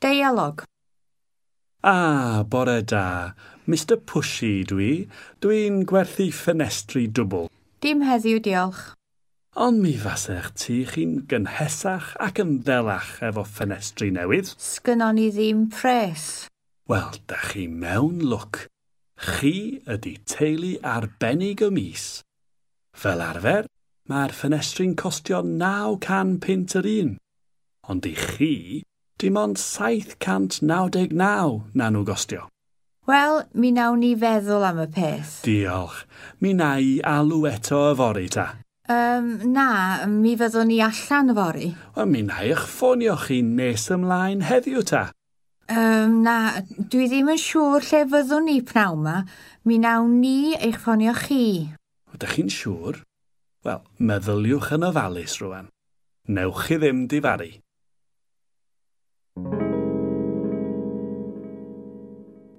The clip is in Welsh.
Deialog. Ah, bore da. Mr Pushy dwi. Dwi'n gwerthu ffenestri dwbl. Dim heddiw, diolch. Ond mi fasech ti chi'n gynhesach ac yn ddelach efo ffenestri newydd. Sgynnon ni ddim pres. Wel, da chi mewn lwc. Chi ydy teulu arbennig y mis. Fel arfer, mae'r ffenestri'n costio 900 punt yr un. Ond i chi, dim ond 799 na nhw gostio. Wel, mi nawn ni feddwl am y peth. Diolch. Mi na i alw eto yfory ta. Na, mi fyddwn ni allan yfory. Wel, mi na i'ch ffonio chi nes ymlaen heddiw ta. Na, dwi ddim yn siŵr lle fyddwn ni pnawn 'ma. Mi nawn ni eich ffonio chi. Ydych chi'n siŵr? Wel, meddyliwch yn ofalus rwan. Newch chi ddim difaru.